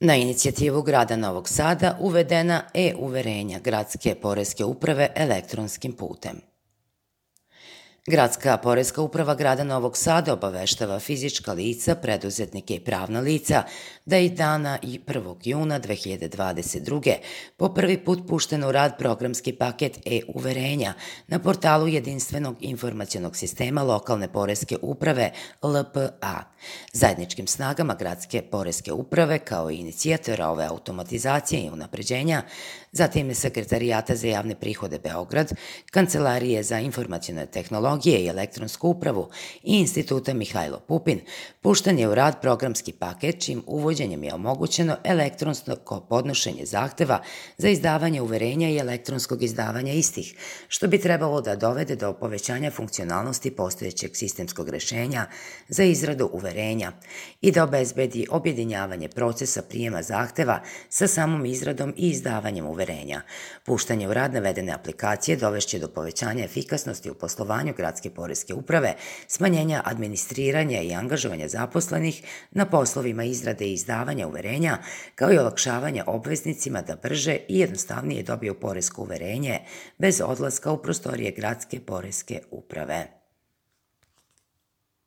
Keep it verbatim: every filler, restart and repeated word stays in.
Na inicijativu grada Novog Sada uvedena e-uverenja Gradske poreske uprave elektronskim putem. Gradska poreska uprava grada Novog Sada obaveštava fizička lica, preduzetnike i pravna lica da je dana i prvog juna dve hiljade dvadeset druge. po prvi put pušten u rad programski paket e-uverenja na portalu Jedinstvenog informacionog sistema lokalne poreske uprave L P A. Zajedničkim snagama Gradske poreske uprave kao i inicijatora ove automatizacije i unapređenja, zatim Sekretarijata za javne prihode Beograd, Kancelarije za informacione tehnologije i elektronsku upravu i Instituta Mihajlo Pupin, pušten je u rad programski paket čim uvođenjem je omogućeno elektronsko podnošenje zahteva za izdavanje uverenja i elektronskog izdavanja istih, što bi trebalo da dovede do povećanja funkcionalnosti postojećeg sistemskog rešenja za izradu uverenja i da obezbedi objedinjavanje procesa prijema zahteva sa samom izradom i izdavanjem uverenja. Puštanje u rad navedene aplikacije dovešće do povećanja efikasnosti u poslovanju Gradske poreske uprave, smanjenja administriranja i angažovanja zaposlenih na poslovima izrade i izdavanja uverenja, kao i olakšavanja obveznicima da brže i jednostavnije dobiju poresko uverenje bez odlaska u prostorije Gradske poreske uprave.